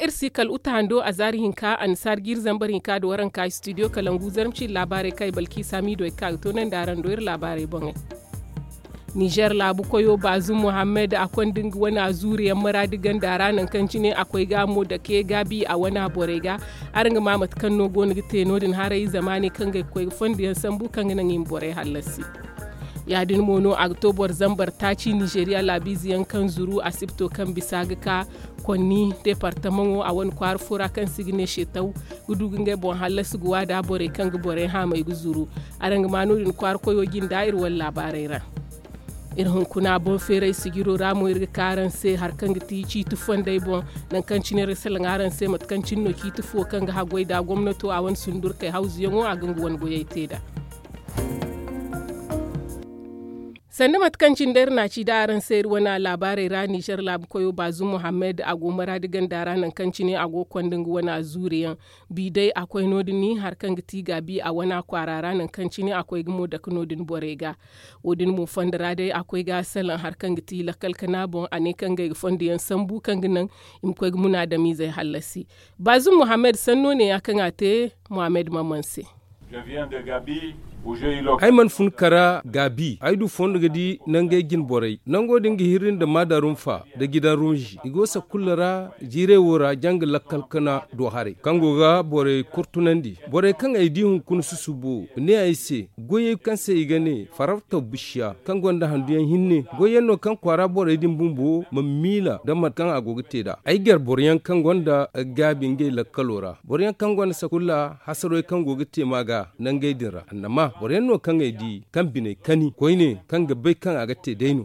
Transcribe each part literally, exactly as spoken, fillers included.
Iri si kala uta hando a zaari hinka annasaari jiiri zambar hinka da waranka studio kalangu zarmci laabaarey kaŋ ay balki saamiido ay ga ka ga toonandi araŋ do iri laabaarey boŋey. Nizer laabu koyo baazum muhammad a konda nga wane a zuuriyaŋ maraadi ganda ra nangu kaŋ cine a koy ga mo dake gaabi a wane a borey ga. Araŋ ga ma mate kaŋ no go no ga te no- din haray zamaaney kaŋ ga ay ga koy ga fondo yaŋ sambu kaŋ ga naŋ i ma borey hallasi. Ya- din mo no a ga to boro zambar taaci nizeriya laabiize yaŋ kaŋ zuru asibto kaŋ bisa ga ka konni deepartamaŋo a wane kwaara fo ra kaŋ se i ga ne seetaw ga du ga ngey boŋ hallasi ga waada borey kaŋ ga borey haamay ga zuru. Araŋ ga ma no- din kwaara koyo jinde iri wane laabaarey ra. Iri hunkuna boŋ feeray sijiro ra mo iri ga ka araŋ se hari kaŋ ga ti ciiti fondey boŋ. Nangu kaŋ cine iri ga salaŋ araŋ se mate kaŋ cine no ciiti fuwo kaŋ ga haggoy nd'a gomnato a wane sundurkey hawzuyaŋo a ga nga wane goyey te nd'a. Sanda mate kaŋ cine day iri n'a ci da araŋ se iri wane laabaarey ra nizer laabu koyo baazum muhammad a go maraadi ganda ra nangu kaŋ cine a go ga konda nga wane a zuuriyaŋ. Bi day a koy no- din hari kaŋ ga ti gaabi a wane a kwaara ra nangu kaŋ cine a koy ga mo dake no- din borey ga. Wo- din mo fondo ra day a koy ga salaŋ hari kaŋ ga ti lakkal kana boŋ a ne kaŋ ga ay ga fondo yaŋ sambu kaŋ ga naŋ i ma koy ga munaadamiizey hallasi. Baazum muhammad sanno ne- ya kaŋ a te muhammad mamman se. Ay mana fun kara gaabi ay du fondo ga di nangey jine borey nango din ga hirri nda maadarunfa nda gidan runzi i go sakulla ra. Jiirey wo ra janga lakkal kana do haray kaŋ go ga borey kurtunandi borey kaŋ ay di hunkuna susubo ne ay se goyey kaŋ se i ga ne farartaw bisiya kaŋ gonda handuyaŋ hinne goyyaŋ no kaŋ kwaara borey din bumbo ma miila nda mate kaŋ a go ga te nd'a ay gar boroyaŋ kaŋ gonda gaabi ngey lakkalo ra boroyaŋ kaŋ gonda sakulla hasarey kaŋ go ga te ma ga nangey din ra annama boroyaŋ no kaŋ ay di kaŋ biney kani koyne kaŋ ga bay kaŋ a ga te day no.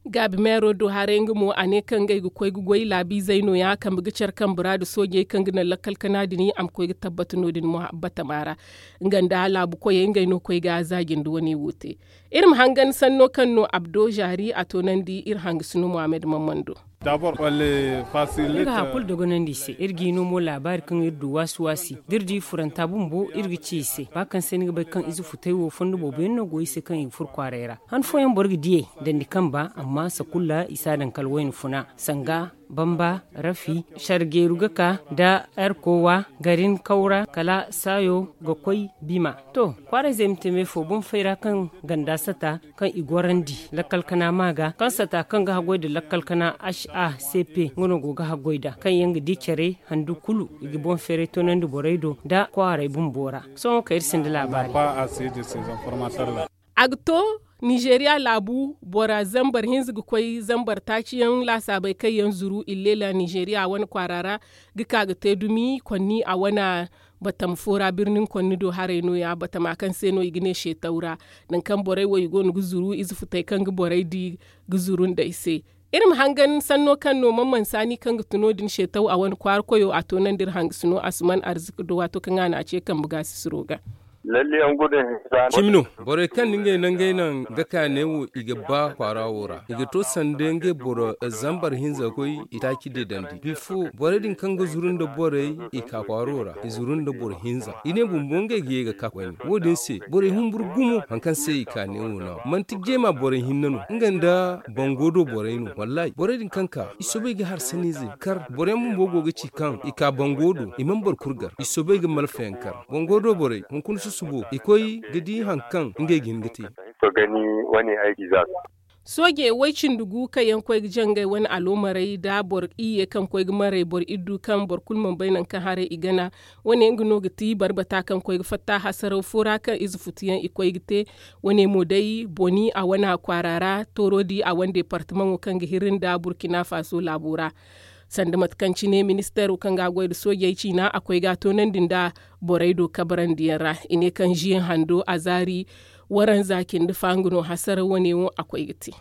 Gaabi meero do haray nga mo a ne kaŋ ngey ga koy ga goy laabiizey no- ya kambe ga care kambe ra nda soojey kaŋ ga naŋ lakkal kana din a ma koy ga tabbata no- din mo batama ra. Nga nda laabu koyey ngey no koy ga za jinde wane wo te. Iri ma hangan sanno kaŋ no abdo zaari a toonandi iri hangasino muhammad mamman do. Iri ga hari kulu dogonandi i se iri g'i no mo laabaari kaŋ iri du waasi waasi da iri di furanta bumbo iri ga ci i se ba kaŋ se ni ga bay kaŋ ize futay wo fondo boobo yaŋ no go i se kaŋ i ga furo kwaaray ra. Han fooyaŋ boro ga diyey dandi kamba amma sakulla i si a daŋ kala wayna funa sanga bamba rafi sargeeru ga ka nda erkowa garin kawra kala saayo ga koy bima. To kwaarayzey ma te me fo boŋ fay ra kaŋ ganda sata kaŋ i gorandi lakkal kana ma ga kaŋ sata kaŋ ga haggoy nda lakkal kana h a c p nga no go ga haggoy nd'a kaŋ yaŋ ga di care handu kulu i ga boŋ feeray toonandi borey do nda kwaaray bumbo ra. Sohõ kay iri sinda laabaari. A ga to nizeeriya laabu bora zambar hinza ga koy zambar taaci yaŋ laasaabey kaŋ yaŋ zuru illeela nizeeriya wane kwaara ra ga ka ga te dumi konni a wane batam fo ra birnin konni do haray no- ya batama kaŋ se no i ga ne seetaw ra. Nangu kaŋ borey wo i go no ga zuru ize futey kaŋ ga borey di ga zuru nd'ey se. Iri ma hangan sanno kaŋ no man mansaani kaŋ ga tun no- din seetaw a wane kwaara koyo a toonandi iri hangasino asuman arziki do waato kaŋ a n'a ce kambe gaasisiro ga. Cimi no, borey kaŋ na ngey nangey naŋ ga ka ne wo i ga ba kwaara wo ra i ga to sanda ngey boro zambar hinza koy i taaci deedandi bifo borey din kaŋ ga zuru nda borey i ka kwaaro ra i zuru nda boro hinza i ne bumbo ngey ga ye ga ka koyne wo- din se borey humburu gumo hari kaŋ se i ka ne wo no manti jeema borey hinne no nga nda bango do borey no wallahi borey din kaŋ ka i soobay ga hari sanniizey kar boroyaŋ bumbo go ga ci kaŋ i ka bango do i mana boro kulu gar i soobay ga malfayaŋ kar bango do borey hunkuna susubo i koy ga di hari kaŋ ngey ga hin ga te. Sooje way-cindi gu kaŋ yaŋ koy ga jangay wane aloomarey nda boro iyye kaŋ koy ga maray boro iddu kaŋ boro kulu mana bay nangu kaŋ haray i gana. Wane nga no ga ti barbata kaŋ koy ga fatta hasaraw fo ra kaŋ ize futuyaŋ i koy ga te. Wane mo day boni a wane a kwaara ra toorodi a wane deepartamaŋo kaŋ ga hirri nda burkina faso laabo ra. Sanda mate kaŋ cine ministeero kaŋ ga a goy nda soojey ciina a koy ga a toonandi nda borey do kabarandiyaŋ ra i ne kaŋ ziyaŋ hando a zaari waranza cindi fa nga no hasara wane wo a koy ga te.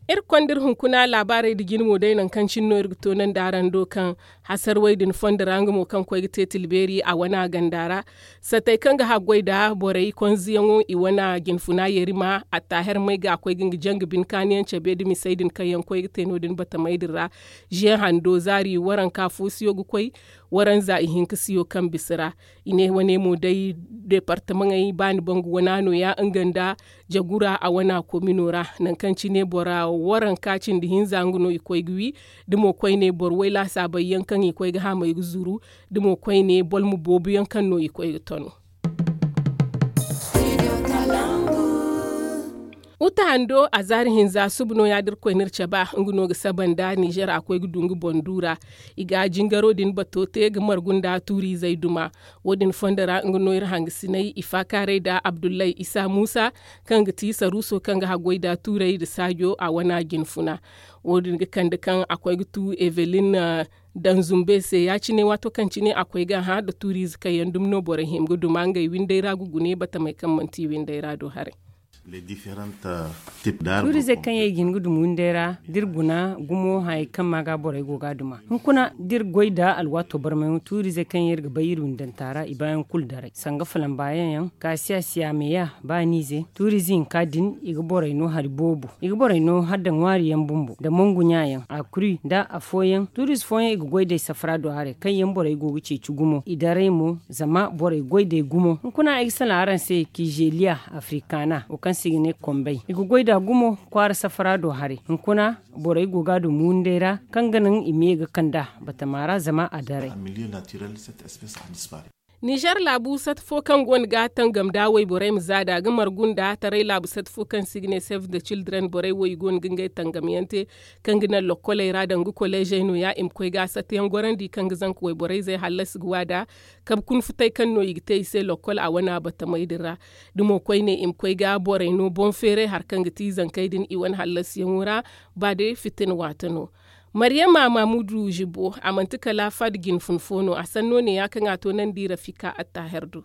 Iri ga konda iri hunkuna laabaarey nda jine mo day nangu kaŋ cine no iri ga toonandi araŋ do kaŋ hasarwey din fondo ra nga mo kaŋ koy ga te tilbeeri a wane a ganda ra. Satey kaŋ ga haggoy nda borey konziyaŋo i wane jinfuna yerima attaher may ga a koy ga nga janga bine kaaniyaŋ cabe nda misey din kaŋ yaŋ koy ga te no- din batamey din ra. Ziyaŋ hando zaari waranka fo siyo ga koy waranza ihinka siyo kaŋ bisa ra. I ne wane mo day deepartamaŋey baani bangu wana nooya nga nda jagura a wana komino ra. Nangu kaŋ cine bora waranka cindi hinza nga no i koy ga wi da mo koyne boro way laasaabey yaŋ kaŋ i koy ga haamey ga zuru da mo koyne bolmo boobo yaŋ kaŋ no i koy ga tanu. Uta hando a zaari hinza suba no ya da iri koy no iri cabe nga no ga saba nda ninzeer a koy ga du nga boŋ du ra. I ga jingaro din bato te ga margu nda tuuriizey duma. Wo- din fondo ra nga no iri hangasiney i faakaaray nda abdullahi isa muusa, kaŋ ga ti saruuso kaŋ ga haggoy nda tuurey nda saajo a wana jinfuna. Wo- din ga kande kaŋ a koy ga tu evelin danzumbe se ya- cine waato kaŋ cine a koy ga hã nda tuuriize kaŋ yaŋ dumi no borey hima ga duma ngey windey ra ga gune batamey kaŋ manti windey ra do haray. Tuuriizey kaŋ yaŋ i ga hin ga duma windey ra da iri guna gumo hayey kaŋ ma ga borey go ga a duma hunkuna da iri goy nda alwaato barmay tuuriizey kaŋ yaŋ iri ga bay iri windanta ra i baayaŋ kulu daray sanga falambaayaŋ yaŋ kaasiya siya meeya ba niize tuuriize hinka din i ga borey no hari boobo i ga borey no hala nda ŋwaari yaŋ bumbo nda mangu ɲa yaŋ a kuri nda afooyaŋ tuuriize fooyaŋ i ga goy day safara do haray kaŋ yaŋ borey go ga ceeci gumo i daray mo zama borey goy day gumo hunkuna ay ga salaŋ araŋ se kiizeliya afrikaana wo kaŋ se i ga ne kombay i ga goy nd'a gumo kwaara safara do haray hunkuna borey go ga a duma windey ra kaŋ ga naŋ i ma ye ga kand'a batama ra zama a daray. Nizer laabu sata fo kaŋ go no ga tangam da wayborey ma za nd'a ga margu nda taray laabu sata fo kaŋ se i ga ne save da cildren borey wo i go no ga ngey tangamyaŋ te kaŋ ga naŋ lokkoley ra danga koleezey no- ya i ma koy ga satayaŋ gorandi kaŋ ga zanka wayborey zey hallasi ga wa nd'a kabe kuna futay kaŋ no i ga te i se lokkol a wana batamey din ra. Da mo koyne i ma koy ga borey no boŋ feeray hari kaŋ ga ti zankey din i wane hallasiyaŋo ra ba day fitina waate no. Maryama mamudu zibo a manti kala fad jinfun fo no a sanno ne ya kaŋ a toonandi rafika attaher do.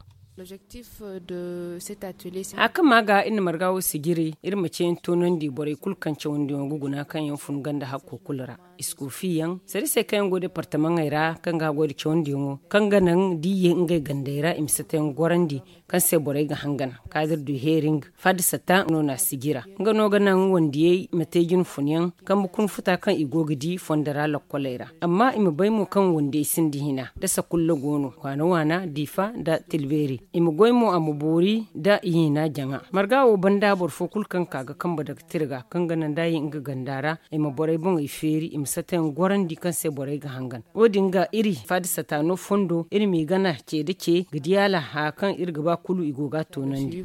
Haya kaŋ ma ga iri na marga wo sijiri iri ma ceeyaŋ toonandi borey kulu kaŋ cawandiyaŋo ga guna kaŋ yaŋ fun ganda hakko kulu ra iskofiyaŋ sariisey kaŋ yaŋ go departamaŋey ra kaŋ ga goy nda cawandiyaŋo kaŋ ga naŋ da i ye ngey gandey ra i ma satayaŋ gorandi kaŋ se borey ga hangan kaadir du heering fadda sata no na sijira nga no ga naŋ wandiyey ma te jinfunyaŋ kambe kuna futa kaŋ i go ga di fondo ra lokkoley ra amma i ma bay mo kaŋ wandiyey sinda hina da sakulla go no waana waana diifa nda tilbeeri i ma goy mo a ma boori nda i hina jaŋa marga wo banda boro fo kulu kaŋ ka ga kambe daga tirga kaŋ ga naŋ da i nga ganda ra i ma borey boŋey feeri i ma satayaŋ gorandi kaŋ se borey ga hangan wo- din ga iri faada sata no fondo iri m'i gana ce nda ce ga di hala haya kaŋ iri ga ba kulu i go ga a toonandi.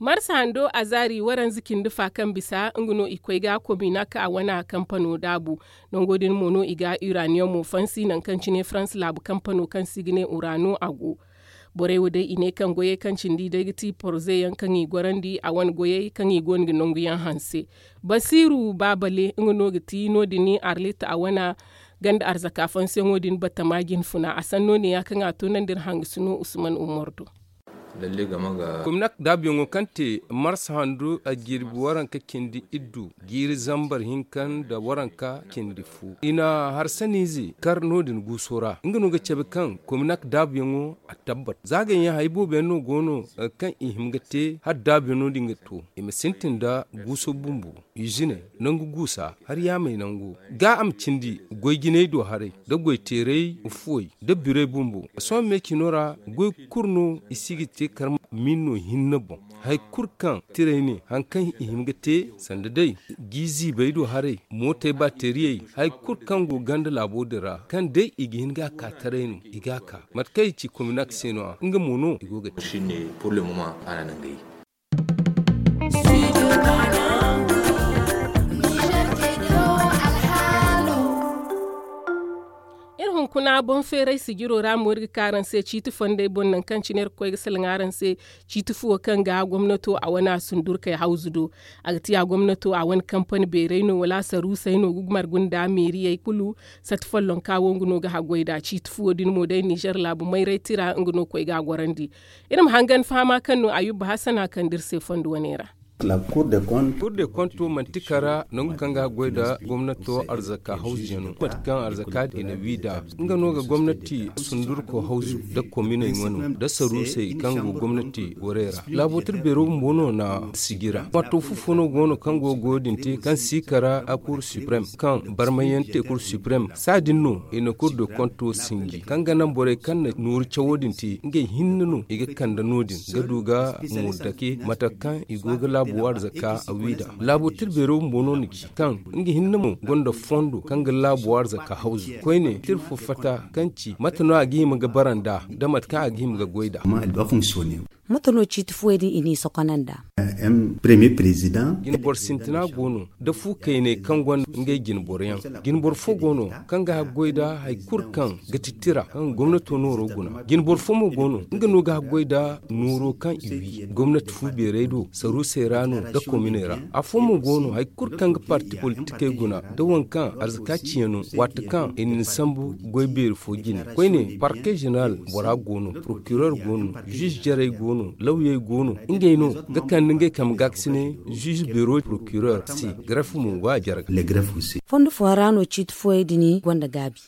Marsa hando azaari waranza cindi fa kaŋ bisa nga no i koy ga kominak a wane kampano daabu. Nango din mo no i ga uraniyomo fansi nangu kaŋ cine farans laabu kampano kaŋ se i ga ne urano a go. Borey wo day i ne kaŋ goyey kaŋ cindi day ga ti porze yaŋ kaŋ i gorandi a wane goyey kaŋ i go no ga nangu yaŋ hanse. Basiiru baabale nga no ga ti no- din arlit a wane ganda arzaka fansiyaŋo din batama jinfuna a sanno ne ya kaŋ a toonandi iri hangasino usman umar do. Kominak daabuyaŋo kaŋ te mars handu a jirbi waranka cindi iddu jiiri zambar hinka nda waranka cindi fu i na harsaniize kar no- din guuso ra nga no ga cabe kaŋ kominak daabuyaŋo a tabbat zaagayaŋ hari boobo yaŋ no go no kaŋ i hima ga te hala daabuyaŋo din ga to i ma sintin nda guuso bumbo. Iziney nangu guusa hari yaamey nangu ga a ma cindi goy jinay do haray nda goy teeray fuwey nda birey bumbo. Sohõ me cino ra goy kulu no i si ga te kar ma min no hinne boŋ. Hari kulu kaŋ tiray ne hari kaŋ i hima ga te sanda day gi ziibey do haray mootey baateriyey hari kulu kaŋ go ganda laabo din ra kaŋ day i ga hin ga a ka taray no i ga a ka mate kaŋ i ci kominak se no- ya nga mo no i go ga te. Iri hunkuna boŋ feeray sijiro ra mo iri ga ka araŋ se ciiti fondey boŋ nangu kaŋ cine iri ga koy ga salaŋ araŋ se. Ciiti fuwo kaŋ ga gomnato a wane a sundurkey hawzu do a ga ti a gomnato a wane kampani beeray no wala saruusey no ga margu nda meeriyey kulu. Sata follonka wo nga no ga haggoy nd'a ciiti fuwo din mo day nizer laabu mayray tira nga no koy ga a gorandi. Iri ma hangan fahama kaŋ no ayuba hasana kande iri se fondo wane ra. Kur de konto manti kara nangu kaŋ ga goy nda gomnato arzaka hawzu yaŋ no mate kaŋ arzaka din i na wi nd'a. Nga no ga gomnati sundurko hawzu nda kominey wane nda saruusey kaŋ go gomnati gorey ra laabo tira beero bumbo no na sijira. Marto fufo no go no kaŋ go ga wo- din te kaŋ si kara a kur siprem kaŋ barmayyaŋ te kur siprem saa din no i na kur de konto sinji kaŋ ga naŋ borey kaŋ na nooru cawo din te ngey hinne no i ga kande no- din ga du ga moodake mate kaŋ i go ga laabo arzaka a wi nd'a. Laabo tira beero bumbo no na ci kaŋ nga hinne mo gonda fondo kaŋ ga laabo arzaka hawzu koyne tira fo fatta kaŋ ci mate no a ga hima ga bara nd'a nda mate kaŋ a ga hima ga goy nd'a. Mate no ciiti fuwey din i n'i sokonanda? Jinboro sintina go no nda fu kayney kaŋ gonda ngey jinboroyaŋ. Jinboro fo go no kaŋ ga haggoy nda hari kulu kaŋ ga ti tira kaŋ gomnato nooro guna. Jinboro fo mo go no nga no ga haggoy nda nooro kaŋ i wi gomnati fu beerey do saruusey ra no nda kominey ra. Afo mo go no hari kulu kaŋ ga parti politikey guna nda waŋ kaŋ arzaka ciyaŋ no waati kaŋ i na ni sambu goy beeri fo jine koyne parke jeneral bora go no prokiror go no ziize jarey go no lawyey go no ngey no ga kande ngey kambe gaakasinay ziize beero prokiror se. Garef mo go a jarga. Fondo fo ra no ciiti fooyey din gonda gaabi.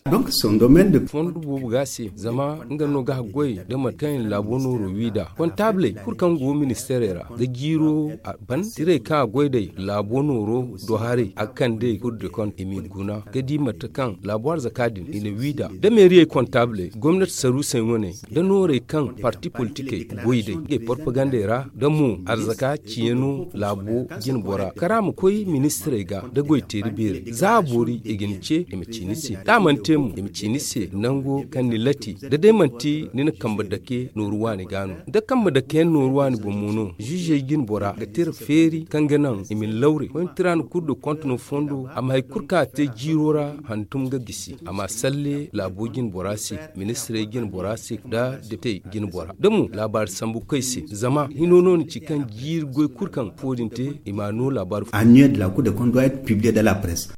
Fondo boobo ga se zama nga no ga haggoy nda mate kaŋ i na laabo nooro wi nd'a kontaabuley kulu kaŋ go ministeerey ra ga jiiro a ban tirey kaŋ a goy nd'ey laabo nooro do haray a ga kande kulu de konto i m'i guna ga di mate kaŋ laabo arzaka din i na wi nd'a da meeriyey kontaabuley gomnati saruusey wane nda noorey kaŋ parti politikey goy nd'ey ngey porpagandey ra nda mo arzaka ciyaŋo laabo jinbora kara ma koy ministirey ga nda goy teeri beerey za a boori i ga ni ce i ma ci ni se da a mana te mo i ma ci ni se nango kaŋ ni lati da day manti ni na kambe dake nooru waani ga no da kambe dake yaŋ nooru waani boŋ mo no ziizey jinbora ga tira feeri kaŋ ga naŋ i ma ni lawre koyne tira na kulu da konte no fondo a ma hari kulu kaŋ a te jiiro ra hantum ga gisi a ma a salle laabo jinbora se ministirey jinbora se nda depitey jinbora da mo laabaari sambu koy se zama hino no ni ci kaŋ jiiri goy kulu kaŋ fo din te i ma a no laabaari fo. Annuel de la cour de compte doit être publié dans la presse.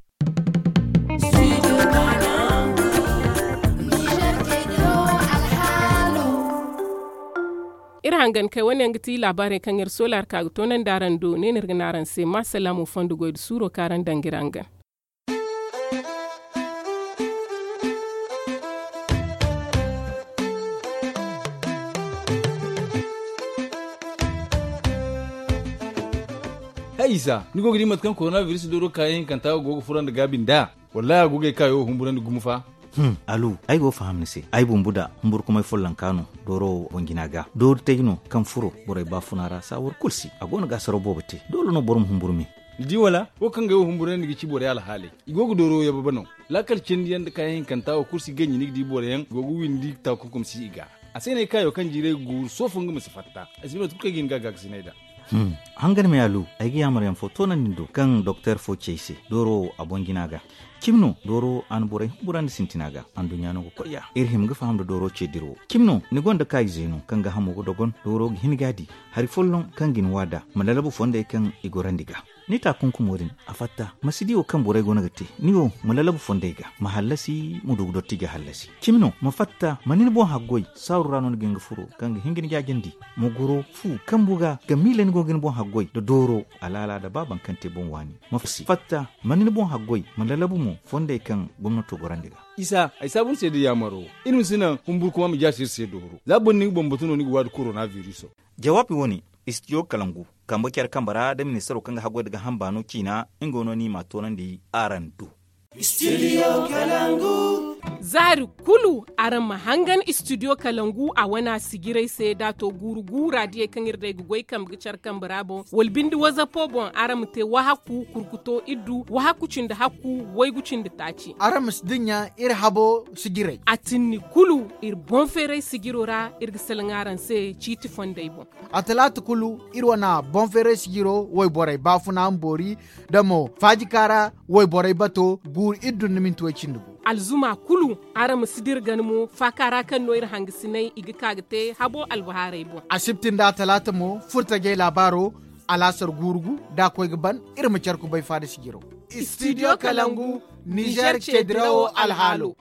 Iri hangan kay wane yaŋ ga ti laabaarey kaŋ iri soola hari ka ga toonandi araŋ do ne no iri ga ne araŋ se ma salaamu fondo goy nda suuro kaŋ araŋ daŋ ga iri hangan. Hay isa ni go ga di mate kaŋ korona biris dooro kaayaŋ hinkanta go ga furo nda gaabi nd'a? Wallahi a go ga ay kaayo humburandi gumo fa. Alu, ay go ga faham ni se. Ay bumbu da humburkumay follonka no dooro wo boŋ jina ga doori tay no kaŋ furo borey baafuna ra saawar kulu si a go no ga asaro boobo te doole no boro ma humburu me. Ni di wala wo kaŋ ga ay wo humburandi ga ci borey alhaaley i go ga dooro yababe no. Laakal cindi yaŋ nda kaayaŋ hinkanta wo kulu si ganji ni ga di boro yaŋ go ga windi taakunkum si i ga. A se no ay kaayo kaŋ jiiray ga guuru soofo nga ma si fatta ay si bay mate kulu kaŋ ay ga hin ga a gaakasinay nd'a. Hangan me alu, ay ga yaamar yaŋ fo toonandi ni do kaŋ doktor fo ci ay se dooro wo a boŋ jina ga. Cimi no dooro wo a na borey humburandi sintina ga anduɲɲa no ga koy ya iri hima ga faham nda dooro ce dira wo cimi no ni gonda kaayize no kaŋ ga hamo ga dogon dooro ga hin ga a di hari folloŋ kaŋ ga ni waada ma lalabu fondey kaŋ i gorandi ga. Ni taakunkumo din a fatta ma si di wo kaŋ borey go no ga te ni wo ma lalabu fondey ga ma hallasi ma du ga dotti ga hallasi. Cimi no ma fatta ma ni ni boŋ haggoy saaru ra no ni ga hin ga furo kaŋ ga hin ga ni jaajandi ma goro fu kambu ga ga miila ni go ga ni boŋ haggoy nda dooro alaala nda ba baŋ kaŋ te boŋ waani. Ma fatta ma ni ni boŋ haggoy ma lalabu mo fondey kaŋ gomnato gorandi ga. Isa ay saabu ni se da yaamaro iri ma si naŋ humburkuma ma jaasi iri se dooro za boro ni ga bambatu no ni ga waadi korona viriso. Jawaabi wo-ne istidiyo kalangu kambe care kambe ra nda ministaro kaŋ ga haggoy nda ga hamba no ciina nga no ni m'a toonandi araŋ do. Zaari kulu araŋ ma hangan istidiyo kalangu a wane a sijiray se da a to guuru guura diyey kaŋ iri day ga goy kambe ga care kambe ra boŋ wala bindi wazapo boŋ araŋ ma te wahakku kurkuto iddu wahakku cindi hakku waygu cindi taaci. Araŋ ma si dinya iri habo sijiray. A tinni kulu iri boŋ feeray sijiro ra iri ga salaŋ araŋ se ciiti fondey boŋ. A talaata kulu iri wane boŋ feeray sijiro wayborey baafuna ma boori nda mo faajikaara wayborey bato guuru iddu nda minti way cindi gu. Alzuma kulu araŋ ma si dira gana mo faakaara kaŋ no iri hangasinay i ga ka ga te habo albahaarey boŋ. Asibti nda a talaata mo furtajey laabaaro alaasar guuru gu da a koy ga ban iri ma care kubay faada sijiro. Istidiyo kalangu nizer ceedirawo alhaalo.